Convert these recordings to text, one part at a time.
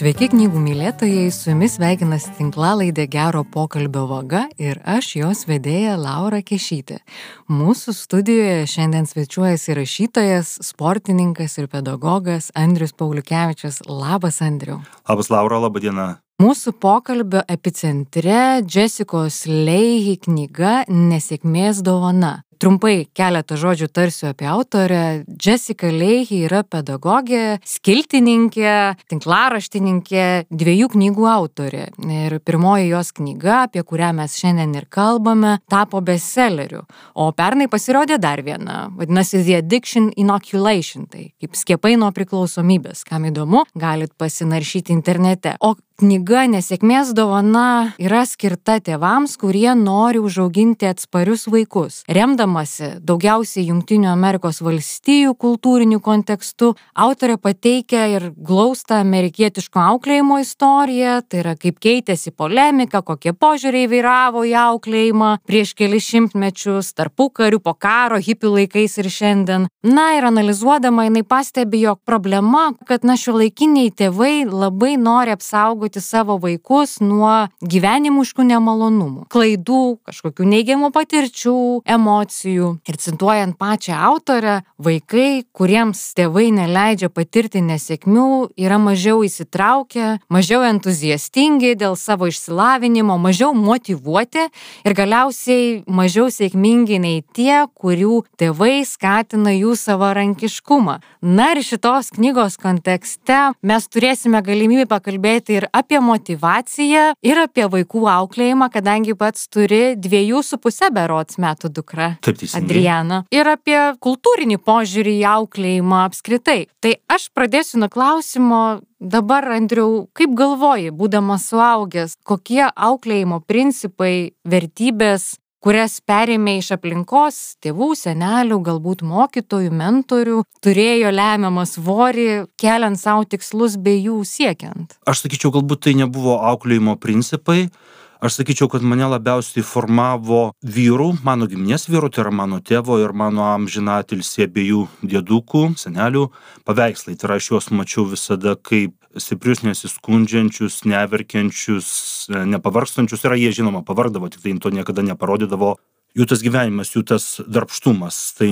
Sveiki knygų mylėtojai, su jumis sveikinasi tinklalaidė Gero pokalbio vaga ir aš jos vedėja Laura Kešytė. Mūsų studijoje šiandien svečiuojasi rašytojas, sportininkas ir pedagogas Andrius Pauliukevičius. Labas, Andriau. Labas, Laura, laba diena. Mūsų pokalbio epicentre Jessicos Leahy knyga Nesėkmės dovana. Trumpai keletą žodžių tarsiu apie autorę. Jessica Leahy yra pedagogė, skiltininkė, tinklaraštininkė, 2 knygų autorė. Ir pirmoji jos knyga, apie kurią mes šiandien ir kalbame, tapo bestselleriu. O pernai pasirodė dar viena, vadinasi The Addiction Inoculation, tai kaip skiepai nuo priklausomybės. Kam įdomu, galit pasinaršyti internete. O knyga Nesėkmės dovana yra skirta tėvams, kurie nori užauginti atsparius vaikus. Remdamasi daugiausiai Jungtinių Amerikos valstijų kultūriniu kontekstu, autorė pateikia ir glaustą amerikietiško auklėjimo istoriją, tai yra kaip keitėsi polemika, kokie požiūriai vyravo į auklėjimą prieš kelis šimtmečius, tarpukariu, po karo, hipių laikais ir šiandien. Na ir analizuodama, jinai pastebi, jog problema, kad šiuolaikiniai tėvai labai nori apsaugoti savo vaikus nuo gyvenimiškų nemalonumų, klaidų, kažkokių neigiamų patirčių, emocijų. Ir cituojant pačią autorę, vaikai, kuriems tėvai neleidžia patirti nesėkmių, yra mažiau įsitraukę, mažiau entuziastingi dėl savo išsilavinimo, mažiau motyvuoti ir galiausiai mažiau sėkmingi nei tie, kurių tėvai skatina jų savarankiškumą. Na ir šitos knygos kontekste mes turėsime galimybę pakalbėti ir apie motyvaciją ir apie vaikų auklėjimą, kadangi pats turi 2,5 berods metų dukrą, Adrianą, ir apie kultūrinį požiūrį į auklėjimą apskritai. Tai aš pradėsiu nuo klausimo. Dabar, Andriau, kaip galvoji, būdamas suaugęs, kokie auklėjimo principai, vertybės, kurias perėmė iš aplinkos, tėvų, senelių, galbūt mokytojų, mentorių, turėjo lemiamą svorį, keliant savo tikslus bei jų siekiant? Aš sakyčiau, galbūt tai nebuvo auklėjimo principai. Aš sakyčiau, kad mane labiausiai formavo vyrų, mano giminės vyrų, tai yra mano tėvo ir mano amžinatilsį abiejų dėdukų, senelių paveikslai. Tai yra, aš juos mačiau visada kaip stiprius, nesiskundžiančius, neverkiančius, nepavargstančius. Ir jie, žinoma, pavargdavo, tik tai to niekada neparodydavo. Jų tas gyvenimas, jų tas darbštumas. Tai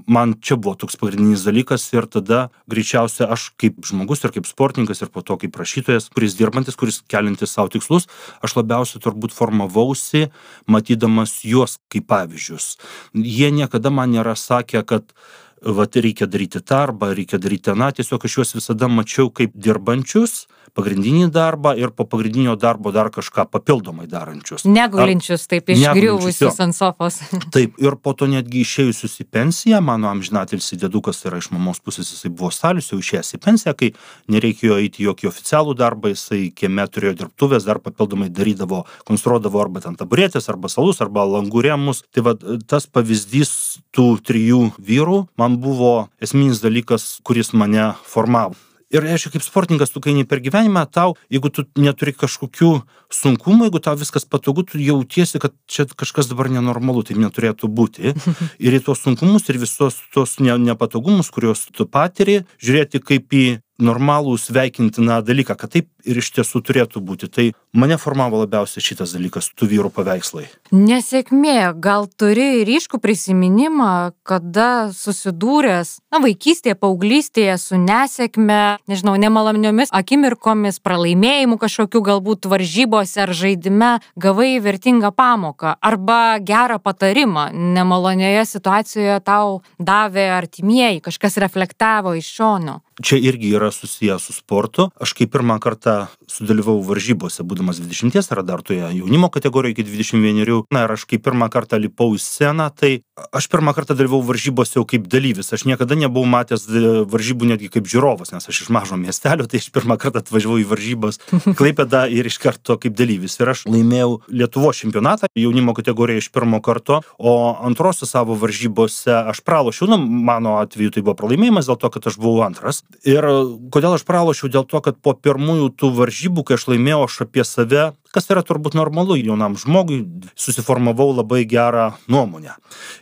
man čia buvo toks pagrindinis dalykas ir tada greičiausia aš kaip žmogus ir kaip sportininkas ir po to kaip rašytojas, kuris dirbantis, kuris keliantis savo tikslus, aš labiausiai turbūt formavausi, matydamas juos kaip pavyzdžius. Jie niekada man nėra sakę, kad reikia daryti tą arba reikia daryti aną, tiesiog aš juos visada mačiau kaip dirbančius, pagrindinį darbą ir po pagrindinio darbo dar kažką papildomai darančius. Negulinčius, taip išgriuvusius ant sofos. Taip, ir po to netgi išėjusius į pensiją, mano amžinatilsį dėdukas, tai yra iš mamos pusės, jisai buvo stalius, jau išėjęs į pensiją, kai nereikėjo eiti jokį oficialų darbą, jisai kieme turėjo dirbtuvės, dar papildomai darydavo, konstruodavo arba ten taburetės, arba salus, arba langų rėmus. Tai va, tas pavyzdys tų 3 vyrų man buvo esminis dalykas, kuris mane formavo. Ir aišku, kaip sportininkas, tu kai eini per gyvenimą, tau, jeigu tu neturi kažkokių sunkumų, jeigu tau viskas patogu, tu jautiesi, kad čia kažkas dabar nenormalu, tai neturėtų būti. Ir į tuos sunkumus ir visos tos nepatogumus, kuriuos tu patiri, žiūrėti kaip į normalų sveikintiną dalyką, kad taip ir iš tiesų turėtų būti. Tai mane formavo labiausiai šitas dalykas, tų vyrų paveikslai. Nesėkmė, gal turi ryškų prisiminimą, kada susidūręs, vaikystėje, paauglystėje su nesėkme, nežinau, nemaloniomis akimirkomis, pralaimėjimu kažkokiu galbūt varžybose ar žaidime, gavai vertingą pamoką arba gerą patarimą, nemalonioje situacijoje tau davė artimieji, kažkas reflektavo iš šono. Čia irgi yra susijęs su sportu. Aš kai pirmą kartą sudalyvau varžybose, būdamas 20 ar dar toje jaunimo kategorijoje iki 21. Na ir aš kai pirmą kartą lipau į sceną, tai aš pirmą kartą dalyvau varžybose jau kaip dalyvis. Aš niekada nebuvau matęs varžybų netgi kaip žiūrovas, nes aš iš mažo miestelio, tai aš pirmą kartą atvažiavau į varžybas Klaipėdą ir iš karto kaip dalyvis. Ir aš laimėjau Lietuvos čempionatą jaunimo kategorijoje iš pirmo karto, o antrosios savo varžybose aš pralošiau. Mano atveju tai buvo pralaimėjimas dėl to, kad aš buvau antras. Ir kodėl aš pralošiau? Dėl to, kad po pirmųjų tų varžybų, kai aš laimėjau, aš apie save kas yra turbūt normalu jaunam žmogui, susiformavau labai gerą nuomonę.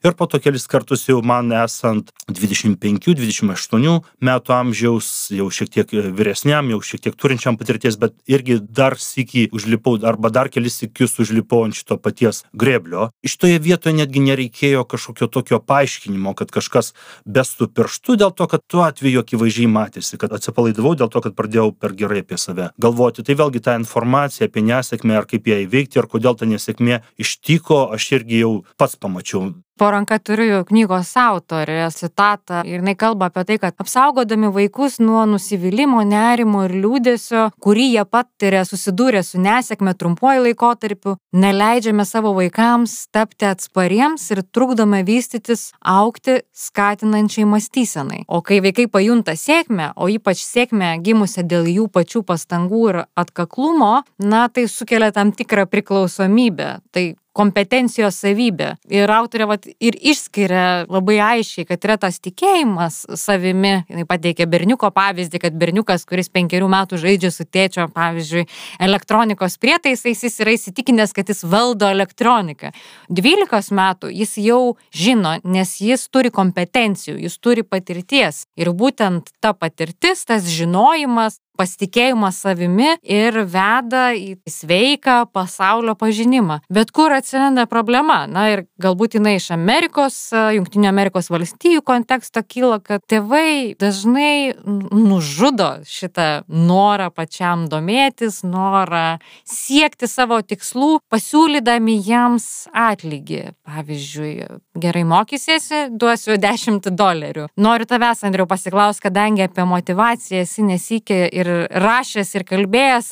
Ir po to kelis kartus jau man esant 25-28 metų amžiaus, jau šiek tiek vyresniam, jau šiek tiek turinčiam patirties, bet irgi dar sykį užlipau, arba dar kelis sykius užlipau ant šito paties grėblio. Šitoje vietoje netgi nereikėjo kažkokio tokio paaiškinimo, kad kažkas bestų pirštu, dėl to, kad tuo atveju akivaizdžiai matėsi, kad atsipalaidavau dėl to, kad pradėjau per gerai apie save galvoti. Tai vėlgi ta informacija apie nesėkmę, ar kaip ją įveikti, ar kodėl ta nesėkmė ištiko, aš irgi jau pats pamačiau. Po ranka turiu knygos autorę citatą ir jinai kalba apie tai, kad apsaugodami vaikus nuo nusivylimo, nerimo ir liūdesio, kurį jie patiria susidūrę su nesėkme trumpuoju laikotarpiu, neleidžiame savo vaikams tapti atspariems ir trukdome vystytis, augti skatinančiai mąstysenai. O kai vaikai pajunta sėkmę, o ypač sėkmę gimusią dėl jų pačių pastangų ir atkaklumo, tai sukelia tam tikrą priklausomybę. Tai kompetencijos savybė. Ir autorė ir išskiria labai aiškiai, kad yra tas tikėjimas savimi. Jis pateikė berniuko pavyzdį, kad berniukas, kuris 5 metų žaidžia su tėčio, pavyzdžiui, elektronikos prietaisais, jis yra įsitikinęs, kad jis valdo elektroniką. 12 metų jis jau žino, nes jis turi kompetencijų, jis turi patirties. Ir būtent ta patirtis, tas žinojimas, pasitikėjimas savimi ir veda į sveiką pasaulio pažinimą. Bet kur atsiranda problema? Ir galbūt jinai iš Jungtinių Amerikos valstijų konteksto kyla, kad tėvai dažnai nužudo šitą norą pačiam domėtis, norą siekti savo tikslų, pasiūlydami jiems atlygį. Pavyzdžiui, gerai mokysiesi, duosiu $10. Noriu tavęs, Andriau, pasiklausti, kadangi apie motyvaciją esi nesikė ir rašęs ir kalbėjęs,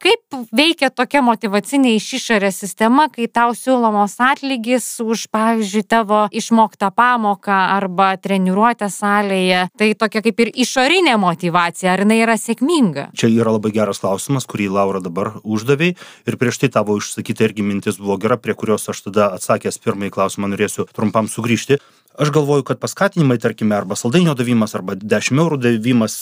kaip veikia tokia motyvacinė iš išorės sistema, kai tau siūlomos atlygis už, pavyzdžiui, tavo išmoktą pamoką arba treniruotę salėje. Tai tokia kaip ir išorinė motyvacija, ar jinai yra sėkminga? Čia yra labai geras klausimas, kurį Laura dabar uždavė, ir prieš tai tavo išsakyta irgi mintis buvo gera, prie kurios aš tada atsakęs pirmąjį klausimą norėsiu trumpam sugrįžti. Aš galvoju, kad paskatinimai, tarkime, arba saldainio davimas, arba 10 eurų davimas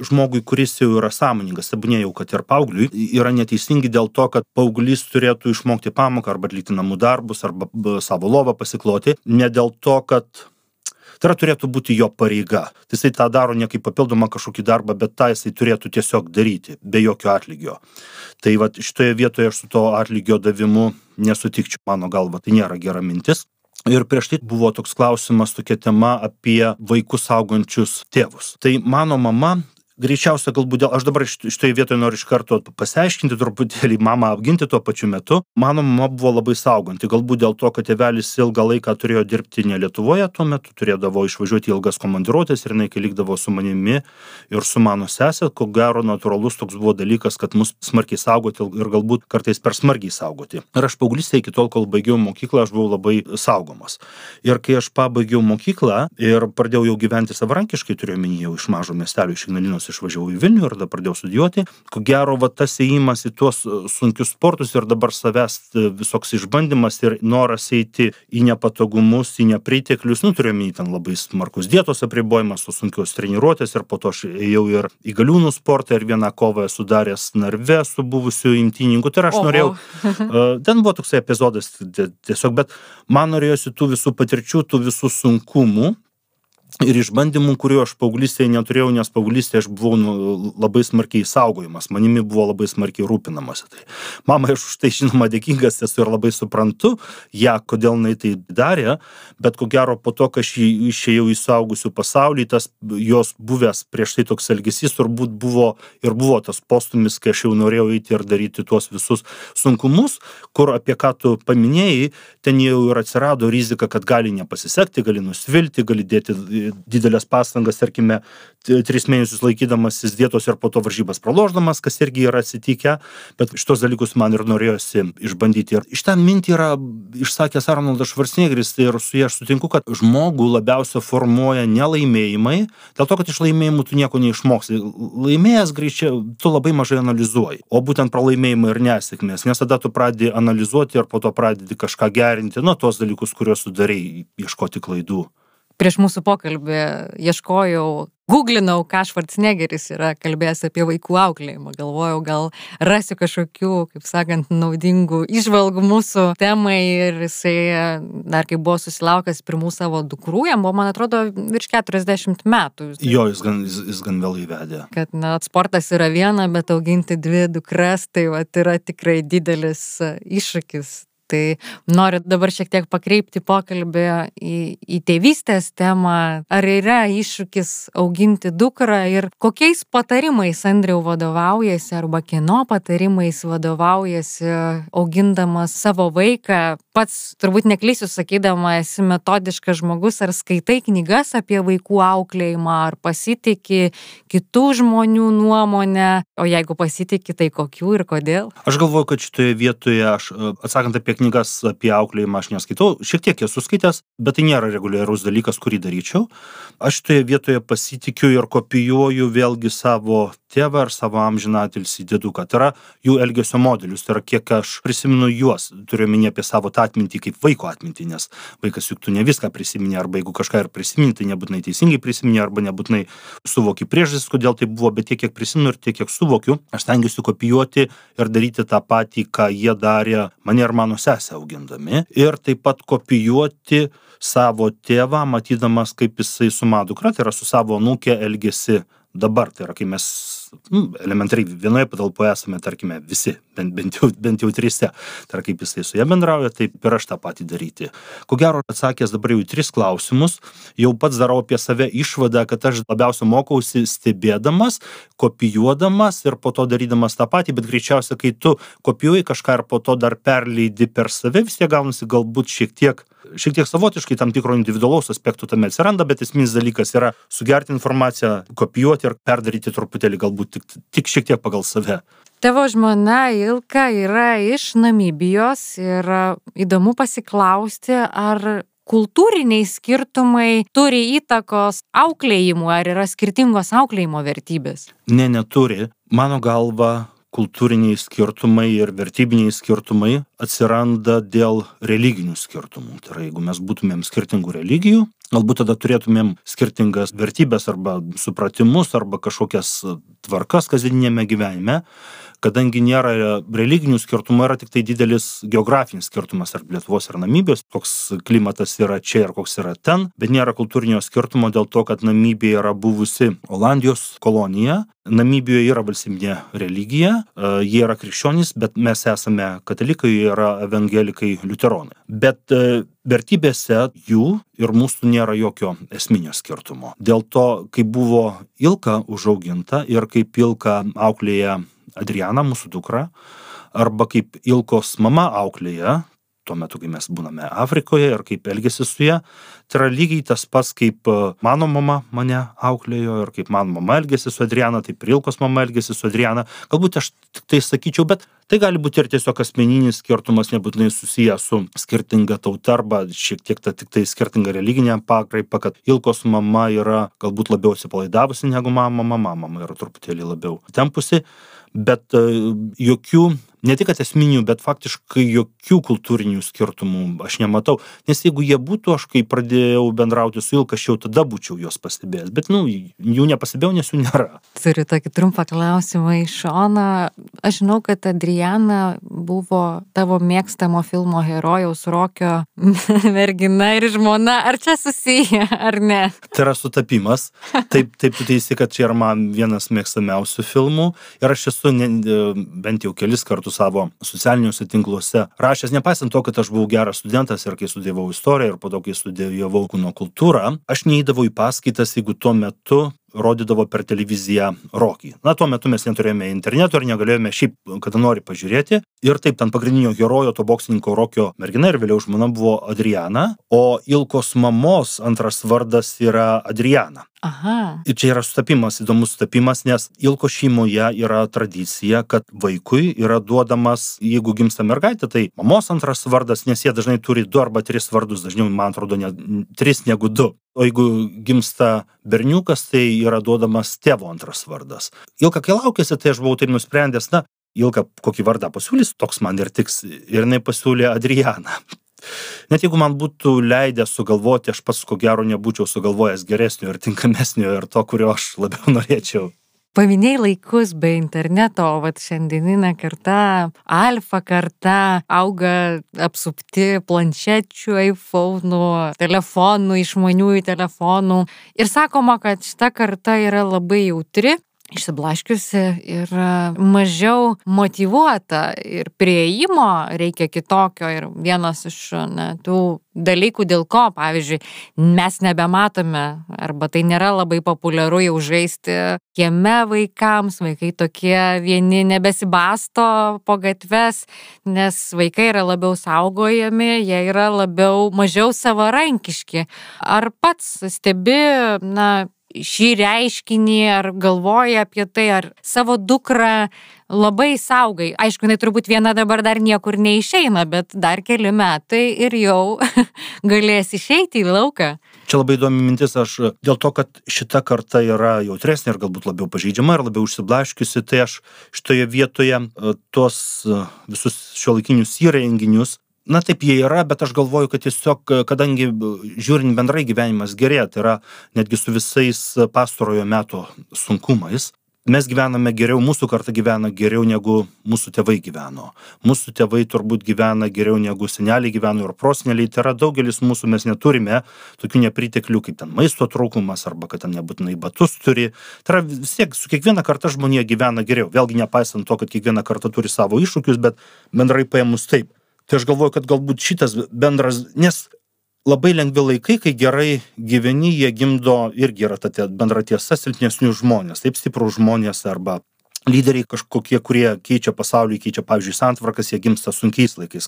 žmogui, kuris jau yra sąmoningas, tebūnė kad ir paaugliui, yra neteisingi dėl to, kad paauglys turėtų išmokti pamoką, arba atlikti namų darbus, arba savo lovą pasikloti, ne dėl to, kad tai turėtų būti jo pareiga. Jisai tą daro ne kaip papildomą kažkokį darbą, bet tą jisai turėtų tiesiog daryti, be jokio atlygio. Tai šitoje vietoje aš su to atlygio davimu nesutikčiau, mano galva, tai nėra gera mintis. Ir prieš tai buvo toks klausimas, tokia tema apie vaikus augančius tėvus. Tai mano mama, greičiausia galbūt aš dabar šitoje vietoje noriu iš karto pasiaiškinti truputėlį, mamą apginti tuo pačiu metu. Mano mama buvo labai sauganti, galbūt dėl to, kad tėvelis ilgą laiką turėjo dirbti ne Lietuvoje, tuo metu turėdavo išvažiuoti ilgas komandiruotės ir jinai, kai likdavo su manimi ir su mano sesė, ko gero natūralus toks buvo dalykas, kad mus smarkiai saugoti ir galbūt kartais per smarkiai saugoti. Ir aš paauglystėje iki tol, kol baigiau mokyklą, aš buvau labai saugomas. Ir kai aš pabaigiau mokyklą ir pradėjau jau gyventi savarankiškai, turiu omeny jau iš mažo miestelio, iš Ignalinos išvažiavau į Vilnių ir tada pradėjau studijuoti. Ko gero, tas ėjimas į tuos sunkius sportus ir dabar savęs visoks išbandymas ir noras eiti į nepatogumus, į nepriteklius, turiu omeny ten labai smarkus dietos apribojimas, tos sunkios treniruotės ir po to aš ėjau ir į galiūnų sportą ir vieną kovą esu daręs Narve su buvusiu imtynininku. Tai aš norėjau, ten buvo toksai epizodas tiesiog, bet man norėjosi tų visų patirčių, tų visų sunkumų ir išbandymų, kuriuo aš paauglystėje neturėjau, nes paauglystėje aš buvau labai smarkiai saugojimas, manimi buvo labai smarkiai rūpinamasi. Tai mamai aš už tai žinoma dėkingas esu ir labai suprantu kodėl jinai tai darė, bet ko gero po to, kai aš išėjau į suaugusių pasaulį, tas jos buvęs prieš tai toks elgesys turbūt buvo tas postumis, kai aš jau norėjau eiti ir daryti tuos visus sunkumus, kur apie ką tu paminėjai, ten jau ir atsirado rizika, kad gali nepasisekti, gali nusvilti, gali dėti didelės pastangas, tarkime, 3 mėnesius laikydamasis dietos ir po to varžybas pralošdamas, kas irgi yra atsitikę, bet šitos dalykus man ir norėjosi išbandyti. Ir iš tą mintį yra išsakęs Arnoldas Švarcnegeris ir su ja aš sutinku, kad žmogų labiausia formuoja nelaimėjimai, dėl to, kad iš laimėjimų tu nieko neišmoksi. Laimėjęs greičiau, tu labai mažai analizuoji, o būtent pralaimėjimai ir nesėkmės, nes tada tu pradedi analizuoti ir po to pradedi kažką gerinti, tuos dalykus, kuriuos tu darei, ieškoti klaidų. Prieš mūsų pokalbį ieškojau Googlinau, ką Schwarzeneggeris yra kalbėjęs apie vaikų auklėjimą. Galvojau, gal rasiu kažkokių, kaip sakant, naudingų įžvalgų mūsų temai ir jisai dar kai buvo susilaukęs pirmų savo dukrų, jam buvo, man atrodo, virš 40 metų. Jo, jis gan vėl įvedė. Kad, sportas yra viena, bet auginti 2 dukras, tai yra tikrai didelis iššūkis. Tai noriu dabar šiek tiek pakreipti pokalbį į tėvystės temą. Ar yra iššūkis auginti dukrą ir kokiais patarimais, Andriau, vadovaujasi arba kieno patarimais vadovaujasi augindamas savo vaiką? Pats turbūt neklysiu sakydama, esi metodiškas žmogus, ar skaitai knygas apie vaikų auklėjimą, ar pasitiki kitų žmonių nuomonę, o jeigu pasitiki, tai kokių ir kodėl? Aš galvoju, kad šitoje vietoje, atsakant apie knygas apie auklėjimą, aš neskaitau, šiek tiek esu skaitęs, bet tai nėra reguliarus dalykas, kurį daryčiau. Aš šitoje vietoje pasitikiu ir kopijuoju vėlgi savo tėvą ar savo amžinatilsį dėduką. Tai yra jų elgesio modelius, tai yra kiek aš prisimenu juos, turiu omeny apie savo tą atmintį kaip vaiko atmintį, nes vaikas juk tu ne viską prisimeni, arba jeigu kažką ir prisimeni, tai nebūtinai teisingai prisimeni, arba nebūtinai suvoki priežastis, kodėl tai buvo, bet tiek, kiek prisimenu ir tiek, kiek suvokiu, aš stengiuosi kopijuoti ir daryti tą patį, ką jie darė mane ir mano sesę augindami, ir taip pat kopijuoti savo tėvą, matydamas, kaip jisai su mano dukra, tai yra su savo anūke elgiasi dabar, tai yra, kai mes elementariai vienoje patalpoje esame, tarkime, visi, bent jau 3. Tai yra, kaip jisai su ja bendrauja, taip ir aš tą patį daryti. Ko gero, atsakęs dabar jau 3 klausimus, jau pats darau apie save išvadą, kad aš labiausiai mokausi stebėdamas, kopijuodamas ir po to darydamas tą patį, bet greičiausiai, kai tu kopijuoji kažką ir po to dar perleidi per save, vis tiek gaunasi galbūt šiek tiek savotiškai tam tikro individualaus aspektų tame atsiranda, bet esminis dalykas yra sugerti informaciją, kopijuoti ir perdaryti truputėlį galbūt tik šiek tiek pagal save. Tavo žmona Ilka yra iš Namibijos ir įdomu pasiklausti, ar kultūriniai skirtumai turi įtakos auklėjimui, ar yra skirtingos auklėjimo vertybės? Ne, neturi. Mano galva, kultūriniai skirtumai ir vertybiniai skirtumai atsiranda dėl religinių skirtumų. Tai yra, jeigu mes būtumėm skirtingų religijų, galbūt tada turėtumėm skirtingas vertybės arba supratimus arba kažkokias tvarkas kasdieniniame gyvenime. Kadangi nėra religinių skirtumų, yra tik tai didelis geografinis skirtumas tarp Lietuvos ir Namibijos, koks klimatas yra čia ir koks yra ten, bet nėra kultūrinio skirtumo dėl to, kad Namibija yra buvusi Olandijos kolonija. Namibijoje yra valstybinė religija, jie yra krikščionys, bet mes esame katalikai, jie yra evangelikai liuteronai. Bet vertybėse jų ir mūsų nėra jokio esminio skirtumo. Dėl to, kaip buvo Ilka užauginta ir kaip Ilka auklėja Adrianą, mūsų dukrą, arba kaip Ilkos mama auklėja, tuo metu, kai mes būname Afrikoje ir kaip elgėsi su ja, tai yra lygiai tas pats, kaip mano mama mane auklėjo ir kaip mano mama elgėsi su Adriana, taip ir Ilkos mama elgėsi su Adriana. Galbūt aš tik tai sakyčiau, bet tai gali būti ir tiesiog asmeninis skirtumas, nebūtinai susijęs su skirtinga tauta arba šiek tiek tik tai skirtinga religinė pakraipa, kad Ilkos mama yra galbūt labiau atsipalaidavusi negu mama yra truputėlį labiau tempusi. Bet jokių, ne tik esminių, bet faktiškai jokių kultūrinių skirtumų aš nematau. Nes jeigu jie būtų, aš kai pradėjau bendrauti su Ilka, aš jau tada būčiau jos pastebėjęs. Bet, jų nepastebėjau, nes jų nėra. Turiu tokį trumpą klausimą iš šono. Aš žinau, kad Adriana buvo tavo mėgstamo filmo herojaus Rokio mergina ir žmona. Ar čia susiję, ar ne? Tai yra sutapimas. Taip tu teisi, kad čia yra man vienas mėgstamiausių filmų. Ir aš esu bent jau kelis kartus savo socialiniuose tinkluose rašęs, nepaisant to, kad aš buvau geras studentas ir kai studijavau istoriją ir po to, kai studijavau kūno kultūrą, aš neįdavau į paskaitas, jeigu tuo metu rodydavo per televiziją Rokį. Tuo metu mes neturėjome interneto ir negalėjome šiaip kada nori pažiūrėti. Ir taip, ten pagrindinio herojo, to boksininko Rokio mergina ir vėliau žmona buvo Adriana, o Ilkos mamos antras vardas yra Adriana. Aha. Ir čia yra sutapimas, įdomus sutapimas, nes Ilkos šeimoje yra tradicija, kad vaikui yra duodamas, jeigu gimsta mergaitė, tai mamos antras vardas, nes jie dažnai turi 2 arba 3 vardus, dažniau, man atrodo, ne 3 negu 2. O jeigu gimsta berniukas, tai yra duodamas tėvo antras vardas. Ilka, kai laukėsi, tai aš buvau taip nusprendęs, Ilka kokį vardą pasiūlys, toks man ir tiks. Ir jinai pasiūlė Adrianą. net jeigu man būtų leidę sugalvoti, aš pats ko gero nebūčiau sugalvojęs geresnio ir tinkamesnio ir to, kurio aš labiau norėčiau. Paminėjai laikus be interneto, o vat šiandieninė karta, alfa karta, auga apsupti planšečių, iPhone'ų, telefonų, išmaniųjų telefonų. Ir sakoma, kad šita karta yra labai jautri, išsiblaškiusi ir mažiau motyvuota ir prieimo reikia kitokio. Ir vienas iš tų dalykų, dėl ko, pavyzdžiui, mes nebematome arba tai nėra labai populiaru jau žaisti kieme vaikams, vaikai tokie vieni nebesibasto po gatves, nes vaikai yra labiau saugojami, jie yra mažiau savarankiški. Ar pats stebi, šį reiškinį, ar galvoja apie tai, ar savo dukrą labai saugai? Aišku, jinai turbūt viena dabar dar niekur neišeina, bet dar keli metai ir jau galės išeiti į lauką. Čia labai įdomi mintis, aš dėl to, kad šita karta yra jautresnė ir galbūt labiau pažeidžiama ir labiau užsiblaškiusi, tai aš šitoje vietoje tuos visus šiuolaikinius įrenginius, taip jie yra, bet aš galvoju, kad tiesiog, kadangi žiūrint bendrai gyvenimas gerėja, tai yra netgi su visais pastarojo meto sunkumais, mes gyvename geriau, mūsų karta gyvena geriau negu mūsų tėvai gyveno. Mūsų tėvai turbūt gyvena geriau negu seneliai gyveno ir proseneliai, tai yra daugelis mūsų mes neturime tokių nepriteklių kaip ten maisto trūkumas arba kad ten nebūtinai batus turi. Tai yra vis tiek su kiekviena karta žmonija gyvena geriau. Vėlgi nepaisant to, kad kiekviena karta turi savo iššūkius, bet bendrai paėmus taip. Tai aš galvoju, kad galbūt šitas bendras, nes labai lengvi laikai, kai gerai gyveni, jie gimdo irgi yra ta bendra tiesa silpnesnių žmonės, taip stiprų žmonės arba lyderiai kažkokie, kurie keičia pasaulį, keičia, pavyzdžiui, santvarkas, jie gimsta sunkiais laikais,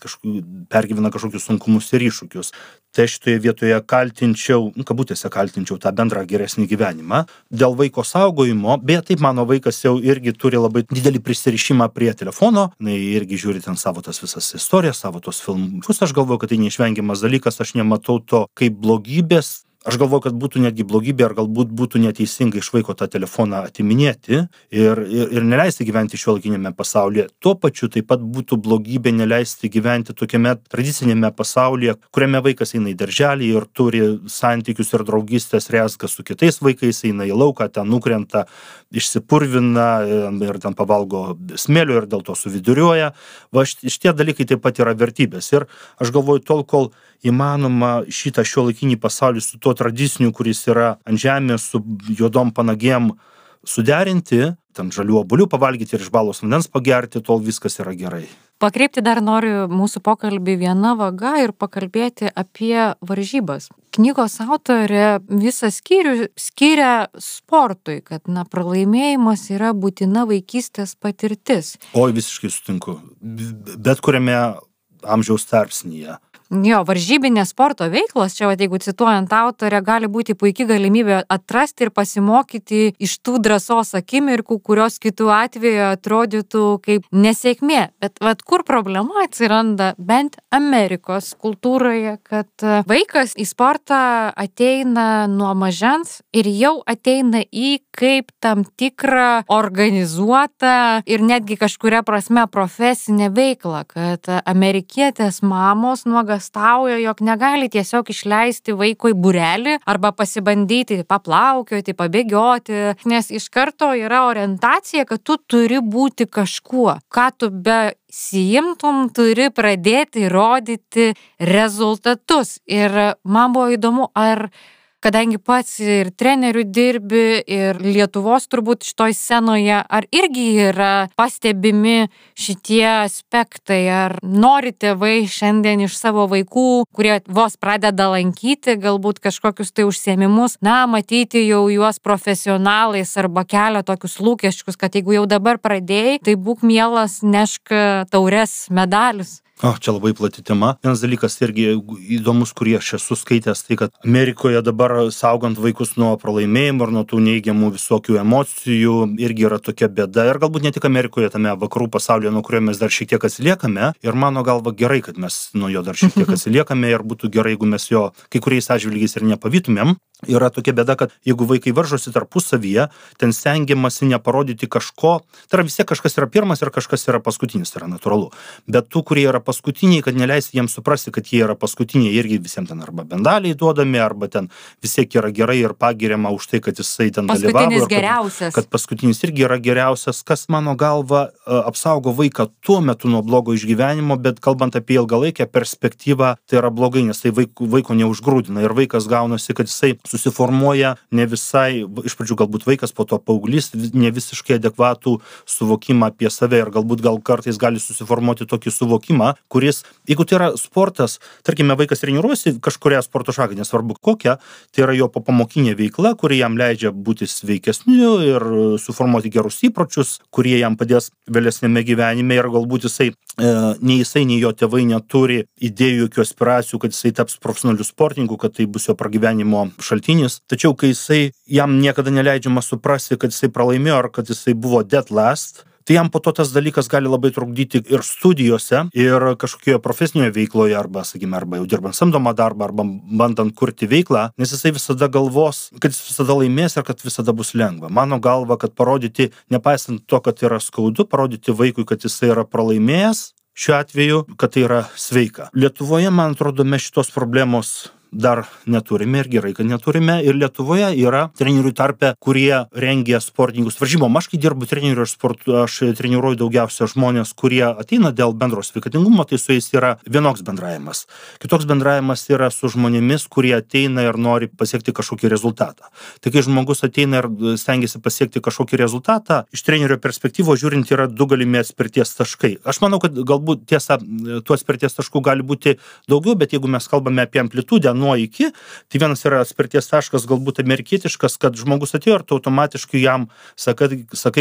pergyvena kažkokius sunkumus ir iššūkius. Tai šitoje vietoje kabutėse kaltinčiau tą bendrą geresnį gyvenimą. Dėl vaiko saugojimo, beje, taip mano vaikas jau irgi turi labai didelį prisirišimą prie telefono, irgi žiūri ten savo tas visas istorijas, savo tos filmus. Aš galvoju, kad tai neišvengiamas dalykas, aš nematau to kaip blogybės. Aš galvoju, kad būtų netgi blogybė, ar galbūt būtų neteisinga iš vaiko tą telefoną atiminėti ir neleisti gyventi šiuolaikinėme pasaulyje. Tuo pačiu taip pat būtų blogybė neleisti gyventi tokiame tradicinėme pasaulyje, kuriame vaikas eina į darželį ir turi santykius ir draugystės rezgą su kitais vaikais, eina į lauką, ten nukrenta, išsipurvina ir ten pavalgo smėlio ir dėl to suviduriuoja. Va, šitie dalykai taip pat yra vertybės. Ir aš galvoju, tol, kol įmanoma šitą šiuolaikinį pasaulį su tuo tradiciniu, kuris yra ant žemės, su juodom panagėm suderinti, ten žalių obuolių pavalgyti ir iš balos vandens pagerti, tol viskas yra gerai. Pakreipti dar noriu mūsų pokalbį viena vaga ir pakalbėti apie varžybas. Knygos autorė visą skyrių skiria sportui, kad pralaimėjimas yra būtina vaikystės patirtis. Oi, visiškai sutinku. Bet kuriame amžiaus tarpsnyje. Jo, varžybinės sporto veiklos, čia, jeigu cituojant autorę, gali būti puikia galimybė atrasti ir pasimokyti iš tų drąsos akimirkų, kurios kitų atveju atrodytų kaip nesėkmė. Bet kur problema atsiranda, bent Amerikos kultūroje, kad vaikas į sportą ateina nuo mažens ir jau ateina į kaip tam tikrą organizuotą ir netgi kažkuria prasme profesinę veiklą, kad amerikietės mamos nuogastauja, jog negali tiesiog išleisti vaiko į būrelį arba pasibandyti paplaukioti, pabėgioti, nes iš karto yra orientacija, kad tu turi būti kažkuo, ką tu besiimtum, turi pradėti rodyti rezultatus. Ir man buvo įdomu, kadangi pats ir trenerių dirbi, ir Lietuvos turbūt šitoj scenoje, ar irgi yra pastebimi šitie aspektai, ar nori tėvai šiandien iš savo vaikų, kurie vos pradeda lankyti galbūt kažkokius tai užsiėmimus, matyti jau juos profesionalais arba kelia tokius lūkesčius, kad jeigu jau dabar pradėjai, tai būk mielas, nešk taures, medalius. Čia labai plati tema. Vienas dalykas irgi įdomus, kurį aš esu skaitęs, tai kad Amerikoje dabar saugant vaikus nuo pralaimėjimų ir nuo tų neigiamų visokių emocijų irgi yra tokia bėda. Ir galbūt ne tik Amerikoje, tame vakarų pasaulyje, nuo kurio mes dar šiek tiek atsiliekame. Ir mano galva gerai, kad mes nuo jo dar šiek tiek atsiliekame ir būtų gerai, jeigu mes jo kai kuriais atžvilgiais ir nepavytumėm. yra tokia bėda, kad jeigu vaikai varžosi tarpusavyje, ten stengiamasi neparodyti kažko, tai yra vis tiek kažkas yra pirmas ir kažkas yra paskutinis, tai yra natūralu. Bet tų, kurie yra paskutiniai, kad neleisti jiems suprasti, kad jie yra paskutiniai, irgi visiems ten arba bendaliai duodami, arba ten vis tiek yra gerai ir pagiriama už tai, kad jisai ten dalyvavo. Kad paskutinis irgi yra geriausias, kas mano galva apsaugo vaiką tuo metu nuo blogo išgyvenimo, bet kalbant apie ilgalaikę perspektyvą, tai yra blogai, nes tai vaiko neužgrūdina ir vaikas gaunasi, kad jisai susiformuoja ne visai, iš pradžių galbūt vaikas, po to paauglys, ne visiškai adekvatų suvokimą apie save ir galbūt kartais gali susiformuoti tokį suvokimą, kuris, jeigu tai yra sportas, tarkime, vaikas treniruosi kažkuria sporto šaką, nesvarbu kokia, tai yra jo popamokinė veikla, kuri jam leidžia būti sveikesniu ir suformuoti gerus įpročius, kurie jam padės vėlesnėme gyvenime ir galbūt nei jisai, nei jo tėvai neturi idėjų, jokių aspiracijų, kad jisai taps profesionaliu sportininku, kad tai bus jo pragyvenimo šaltinis. Tačiau, kai jam niekada neleidžiama suprasti, kad jisai pralaimėjo ar kad jisai buvo dead last, tai jam po to tas dalykas gali labai trukdyti ir studijose, ir kažkokioje profesinėje veikloje, arba, sakykime, arba jau dirbant samdomą darbą, arba bandant kurti veiklą, nes jisai visada galvos, kad jis visada laimės ir kad visada bus lengva. Mano galva, kad parodyti, nepaisant to, kad yra skaudu, parodyti vaikui, kad jisai yra pralaimėjęs, šiuo atveju, kad tai yra sveika. Lietuvoje, man atrodo, mes šitos problemos dar neturime ir gerai, kad neturime. Ir Lietuvoje yra trenerių tarpe, kurie rengia sportininkus varžybom. Aš, kai dirbu treneriu aš treniruoju daugiausia žmonės, kurie ateina dėl bendro sveikatingumo, tai su jais yra vienoks bendravimas. Kitoks bendravimas yra su žmonėmis, kurie ateina ir nori pasiekti kažkokį rezultatą. Tai kai žmogus ateina ir stengiasi pasiekti kažkokį rezultatą, iš trenerio perspektyvos žiūrint yra du galimi atspirties taškai. Aš manau, kad galbūt tiesa, tų atspirties taškų gali būti daugiau, bet jeigu mes kalbame apie amplitudę nuo iki, tai vienas yra atspirties taškas galbūt amerikietiškas, kad žmogus atėjo ir tu automatiškai jam sakai,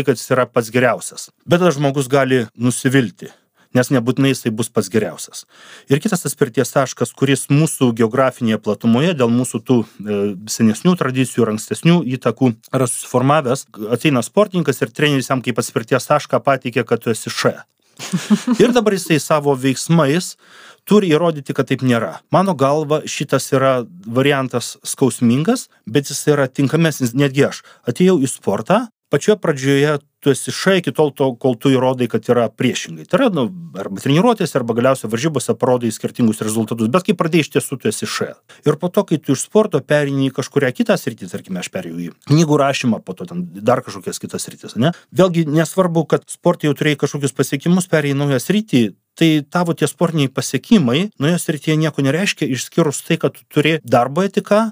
kad jis yra pats geriausias. Bet tas žmogus gali nusivilti, nes nebūtinai jisai bus pats geriausias. Ir kitas atspirties taškas, kuris mūsų geografinėje platumoje, dėl mūsų tų senesnių tradicijų ir ankstesnių įtakų yra susiformavęs, ateina sportininkas ir treneris jam kaip atspirties tašką pateikia, kad tu esi š. Ir dabar jisai savo veiksmais turi įrodyti, kad taip nėra. Mano galva, šitas yra variantas skausmingas, bet jis yra tinkamesnis. Netgi aš atėjau į sportą, pačioje pradžioje tu esi š iki tol, kol tu įrodai, kad yra priešingai. Tai yra, arba treniruotės, arba galiausiai varžybose parodai skirtingus rezultatus, bet kai pradėjai iš tiesų, tu esi š. Ir po to, kai tu iš sporto pereini į kažkurią kitą sritį, tarkime, aš perėjau į knygų rašymą, po to ten dar kažkokias kitas sritis, ne? Vėlgi, nesvarbu, kad sporte jau turėjai kažkokius pasiekimus, perėjai į naują sritį, tai tavo tie sportiniai pasiekimai naujoje srityje nieko nereiškia, išskyrus tai, kad tu turi darbo etiką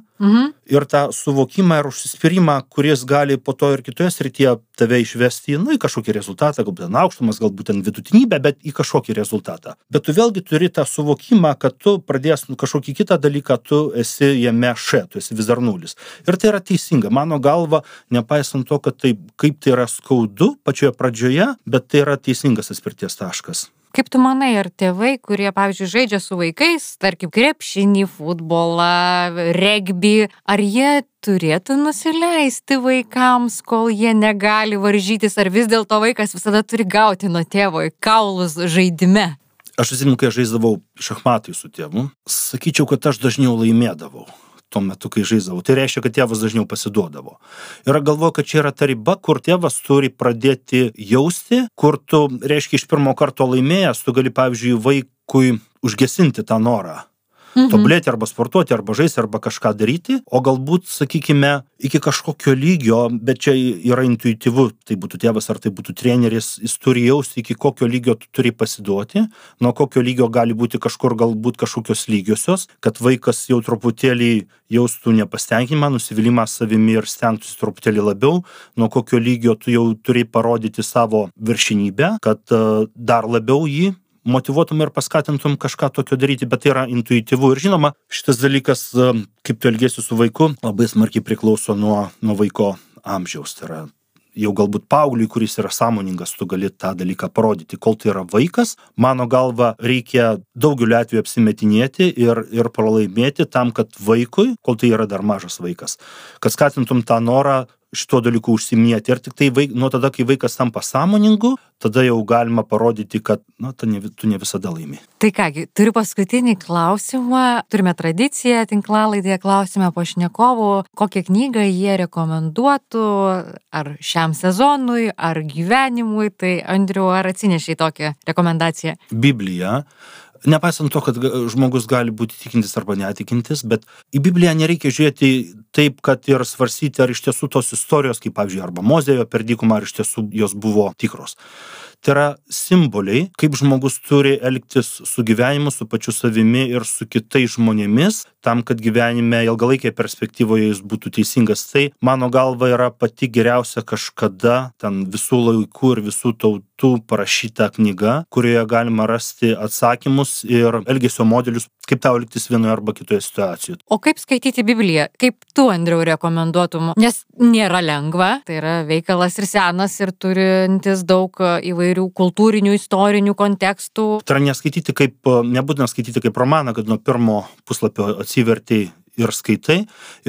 ir tą suvokimą ir užsispyrimą, kuris gali po to ir kitoje srityje tave išvesti į kažkokį rezultatą, galbūt ten aukštumas, galbūt ten vidutinybę, bet į kažkokį rezultatą. Bet tu vėlgi turi tą suvokimą, kad tu pradės kažkokį kitą dalyką, tu esi jame š, tu esi vis dar nulis. Ir tai yra teisinga. Mano galva, nepaisant to, kad tai, kaip tai yra skaudu pačioje pradžioje, bet tai yra teisingas atspirties taškas. Kaip tu manai, ar tėvai, kurie, pavyzdžiui, žaidžia su vaikais, tarkim, krepšinį, futbolą, regbį, ar jie turėtų nusileisti vaikams, kol jie negali varžytis, ar vis dėlto vaikas visada turi gauti nuo tėvo į kaulus žaidime? Aš atsimenu, kai žaisdavau šachmatai su tėvu, sakyčiau, kad aš dažniau laimėdavau tuo metu, kai žaisdavau. Tai reiškia, kad tėvas dažniau pasiduodavo. Ir galvoju, kad čia yra ta riba, kur tėvas turi pradėti jausti, kur tu, reiškia, iš pirmo karto laimėjęs, tu gali, pavyzdžiui, vaikui užgesinti tą norą. Tobulėti arba sportuoti, arba žaisti, arba kažką daryti, o galbūt, sakykime, iki kažkokio lygio, bet čia yra intuityvu, tai būtų tėvas ar tai būtų treneris, jis turi jausti, iki kokio lygio tu turi pasiduoti, nuo kokio lygio gali būti kažkur galbūt kažkokios lygiosios, kad vaikas jau truputėlį jaustų nepasitenkinimą, nusivylimą savimi ir stengtųsi truputėlį labiau, nuo kokio lygio tu jau turi parodyti savo viršinybę, kad dar labiau jį motyvuotum ir paskatintum kažką tokio daryti, bet tai yra intuityvu. Ir žinoma, šitas dalykas, kaip tu elgiesi su vaiku, labai smarkiai priklauso nuo vaiko amžiaus. Tai yra jau galbūt paaugliui, kuris yra sąmoningas, tu gali tą dalyką parodyti. Kol tai yra vaikas, mano galva, reikia daugeliu atveju apsimetinėti ir pralaimėti tam, kad vaikui, kol tai yra dar mažas vaikas, kad skatintum tą norą šituo dalyku užsiminėti. Ir tik tai nuo tada, kai vaikas tampa sąmoningu, tada jau galima parodyti, kad tu ne visada laimi. Tai kągi, turiu paskutinį klausimą. Turime tradiciją tinklalaidėje, klausime pašnekovų, kokią knygą jie rekomenduotų, ar šiam sezonui, ar gyvenimui. Tai Andriau, ar atsinešiai tokią rekomendaciją? Biblija. Nepaisant to, kad žmogus gali būti tikintis arba netikintis, bet į Bibliją nereikia žiūrėti taip, kad ir svarstyti, ar iš tiesų tos istorijos, kaip pavyzdžiui, arba Mozėjo per dykumą, ar iš tiesų jos buvo tikros. Tai yra simboliai, kaip žmogus turi elgtis su gyvenimu, su pačiu savimi ir su kitais žmonėmis, tam, kad gyvenime ilgalaikėje perspektyvoje jis būtų teisingas. Tai, mano galva, yra pati geriausia kažkada ten visų laikų ir visų tautų parašyta knyga, kurioje galima rasti atsakymus ir elgesio modelius, kaip tau elgtis vienoje arba kitoje situacijoje. O kaip skaityti Bibliją? Kaip tu, Andriau, rekomenduotum? Nes nėra lengva, tai yra veikalas ir senas ir turintis daug įvairių kultūrinių, istorinių kontekstų. Tai yra nebūtina skaityti kaip romaną, kad nuo pirmo puslapio atsiverti ir skaitai,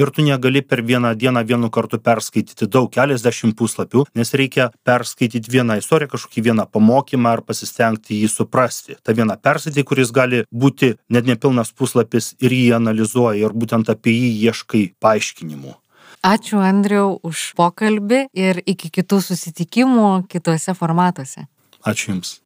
ir tu negali per vieną dieną vienu kartu perskaityti daug, keliasdešimt puslapių, nes reikia perskaityti vieną istoriją, kažkokį vieną pamokymą ar pasistengti jį suprasti. Ta viena perskaityti, kuris gali būti net nepilnas puslapis ir jį analizuoji ir būtent apie jį ieškai paaiškinimų. Ačiū, Andriau, už pokalbį ir iki kitų susitikimų kituose formatuose. Ačiū Jums.